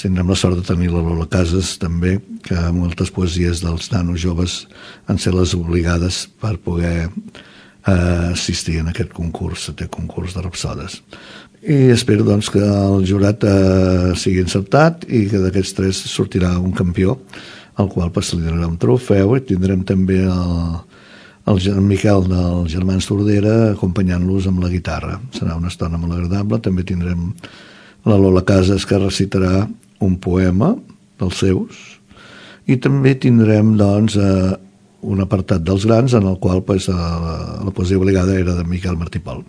tindrem la sort de tenir la Lola Casas també, que moltes poesies dels nanos joves han ser les obligades per poder assistir en aquest concurs de rapsodes. I espero doncs que el jurat sigui encertat i que d'aquests 3 sortirà un campió, al qual se li donarà un trofeu, i tindrem també el Miquel dels Germans Tordera acompanyant-los amb la guitarra. Serà una estona molt agradable. També tindrem la Lola Casas, que recitarà un poema dels seus, i també tindrem doncs un apartat dels grans en el qual la poesia obligada era de Miquel Martí Pol.